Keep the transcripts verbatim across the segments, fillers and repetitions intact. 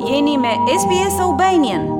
Jeni me S B S Albanian.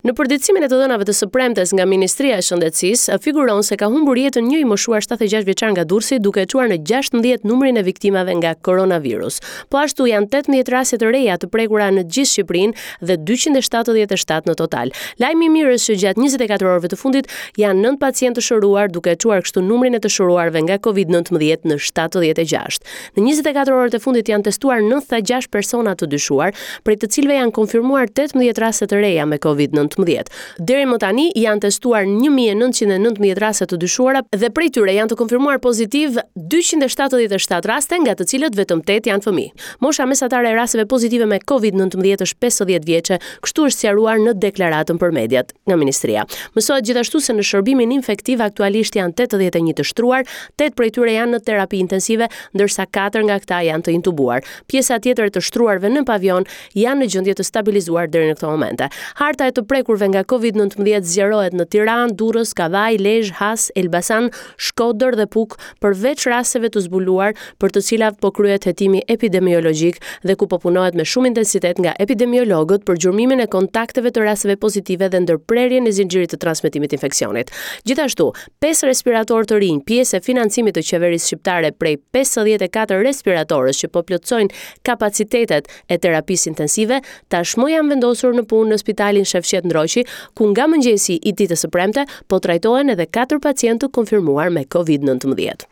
Në përditësimin e të dhënave të së premtes nga Ministria e Shëndetësisë, figuron se ka humbur jetën një i moshuar shtatëdhjetë e gjashtë vjeçar nga Durrësi, duke e çuar në gjashtëmbëdhjetë numrin e viktimave nga koronavirus. Po ashtu janë tetëmbëdhjetë raste të reja të prekura në gjithë Shqipërinë dhe dyqind e shtatëdhjetë e shtatë në total. Lajmi i mirë është që gjatë njëzet e katër orëve të fundit janë nëntë pacientë të shëruar, duke e çuar kështu numrin e të shëruarve nga Covid nëntëmbëdhjetë në shtatëdhjetë e gjashtë. Në njëzet e katër orët e fundit janë testuar nëntëdhjetë e gjashtë persona të dyshuar, prej të cilëve janë konfirmuar tetëmbëdhjetë raste të reja me Covid nëntëmbëdhjetë. Deri më tani janë testuar një mijë e nëntëqind e nëntëmbëdhjetë raste të dyshuara dhe prej tyre janë të konfirmuar pozitiv dyqind e shtatëdhjetë e shtatë raste, nga të cilët vetëm tetë janë fëmijë. Mosha mesatare e rasteve pozitive me Covid nëntëmbëdhjetë është pesëdhjetë vjeçe, kështu është sqaruar në deklaratën për mediat nga ministria. Mësohet gjithashtu se në shërbimin infektiv aktualisht janë tetëdhjetë e një të shtruar, tetë prej tyre janë në terapi intensive, ndërsa katër nga këta janë të intubuar. Pjesa tjetër e të shtruarve në pavion janë në gjendje të stabilizuar deri në këto momente. Harta e të prekurve nga Covid nëntëmbëdhjetë zgjerohet në Tiranë, Durrës, Kavajë, Lezhë, Has, Elbasan, Shkodër dhe Pukë, përveç rasteve të zbuluar për të cilat po kryhet hetimi epidemiologjik dhe ku po punohet me shumë intensitet nga epidemiologët për gjurmimin e kontakteve të rasteve pozitive dhe ndërprerjen e zinxhirit të transmetimit të infeksionit. Gjithashtu, pesë respiratorë të rinj, pjesë e financimit të qeverisë shqiptare prej pesëdhjetë e katër respiratorësh që po plotësojnë kapacitetet e terapisë intensive, tashmë janë vendosur në punë në spitalin Shefqet Ndroqi, ku nga mëngjesi i ditës së premte po trajtohen edhe katër pacientë të konfirmuar me Covid nëntëmbëdhjetë.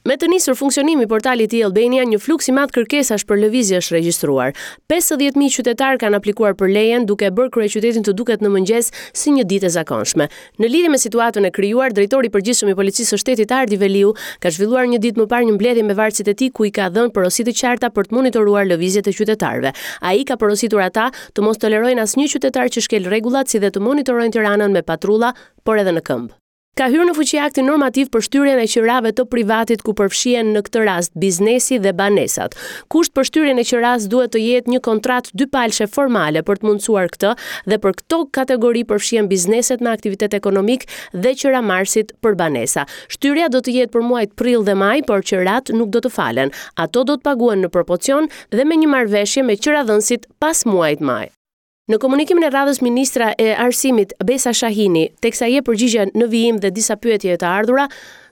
Me të nisur funksionimi i portalit e-Albania, një fluks i madh kërkesash për lëvizje është regjistruar. pesëdhjetë mijë qytetarë kanë aplikuar për lejen, duke bërë kryeqytetin të duket në mëngjes si një ditë e zakonshme. Në lidhje me situatën e krijuar, drejtori i përgjithshëm i Policisë së Shtetit Ardi Veliu ka zhvilluar një ditë më parë një mbledhje me vartësit e tij, ku i ka dhënë porosi të qarta për të monitoruar lëvizjet e qytetarëve. Ai ka porositur ata të mos tolerojnë asnjë qytetar që shkel rregullat, si dhe të monitorojnë Tiranën me patrulla, por edhe në këmbë. Ka hyrë në fuqi akti normativ për shtyrjen e qirave të privatit, ku përfshihen në këtë rast biznesi dhe banesat. Kusht për shtyrjen e qiras duhet të jetë një kontratë dypalshe formale për të mundësuar këtë dhe për këto kategori përfshihen bizneset me aktivitet ekonomik dhe qiramarrësit për banesa. Shtyrja do të jetë për muajt prill dhe maj, por qirat nuk do të falen. Ato do të paguhen në proporcion dhe me një marrëveshje me qiradhënësit pas muajit maj. Në komunikimin e radhës, ministrja e Arsimit Besa Shahini, teksa jep përgjigje në vijim dhe disa pyetje të ardhura,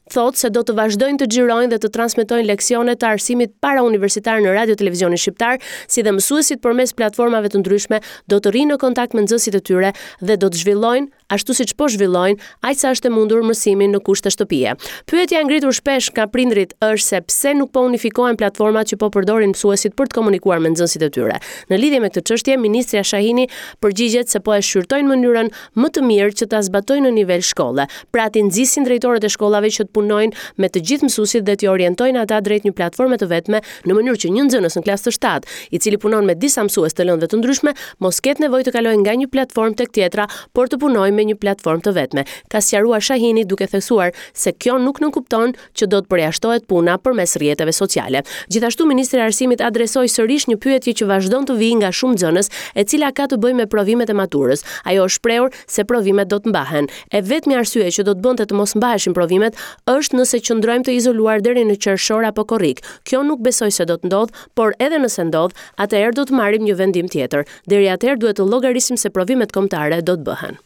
thotë se do të vazhdojnë të xhirojnë dhe të transmetojnë leksione të arsimit para universitar në Radio Televizionin Shqiptar, si dhe mësuesit përmes platformave të ndryshme do të rrinë në kontakt me nxënësit e tyre dhe do të zhvillojnë, ashtu siç po zhvillojnë, aq sa është e mundur mësimin në kushte shtëpie. Pyetja e ngritur shpesh nga prindrit është se pse nuk po unifikohen platformat që po përdorin mësuesit për të komunikuar me nxënësit e tyre. Në lidhje me këtë çështje, ministrja Shahini përgjigjet se po e shqyrtojnë mënyrën më të mirë që ta zbatojnë në nivel shkolle, pra t'i nxisin drejtorët e shkollave që të punojnë me të gjithë mësuesit dhe t'i orientojnë ata drejt një platforme të vetme, në mënyrë që një nxënës në klasë të shtatë, i cili punon me disa mësues të lëndëve të ndryshme, mos ketë nevojë të kalojë nga një platformë tek tjetra, por të punojë me një platformë të vetme. Ka sqaruar Shahini, duke theksuar se kjo nuk nënkupton që do të përjashtohet puna përmes rrjeteve sociale. Gjithashtu, ministri i Arsimit adresoi sërish një pyetje që vazhdon të vijë nga shumë nxënës, e cila ka të bëjë me provimet e maturës. Ajo është shprehur se provimet do të mbahen. E vetmja arsye që do të bënte të mos mbaheshin provimet është nëse qëndrojmë të izoluar deri në qershor apo korrik. Kjo nuk besoj se do të ndodh, por edhe nëse ndodh, atëherë do të marrim një vendim tjetër. Deri atëherë duhet të llogarisim se provimet kombëtare do të bëhen.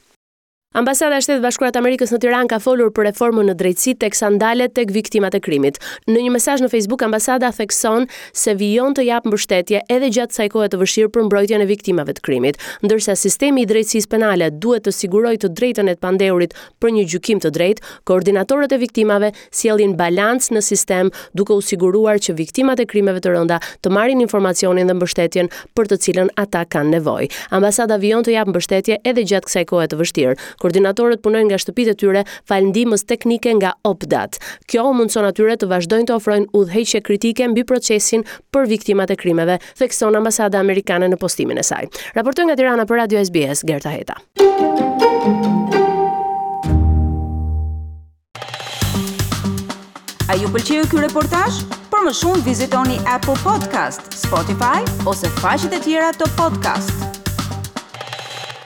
Ambasada e Shteteve të Bashkuara të Amerikës në Tiranë ka folur për reformën në drejtësi, teksa ndalet tek viktimat e krimit. Në një mesazh në Facebook, ambasada thekson se vijon të japë mbështetje edhe gjatë kësaj kohe të vështirë për mbrojtjen e viktimave të krimit, ndërsa sistemi i drejtësisë penale duhet të sigurojë të drejtën e të pandehurit për një gjykim të drejtë, koordinatorët e viktimave sjellin balancë në sistem, duke u siguruar që viktimat e krimeve të rënda të marrin informacionin dhe mbështetjen për të cilën ata kanë nevojë. Ambasada vijon të japë mbështetje edhe gjatë kësaj kohe të vështirë. Koordinatorët punojnë nga shtëpitë e tyre falë ndihmës teknike nga OPDAT. Kjo u mundson atyre të vazhdojnë të ofrojnë udhëheqje kritike mbi procesin për viktimat e krimeve, thekson ambasada amerikane në postimin e saj. Raportoi nga Tirana për Radio S B S, Gerta Heta. A ju pëlqeu ky reportazh? Për më shumë vizitoni Apple Podcast, Spotify ose faqet e tjera të podcast.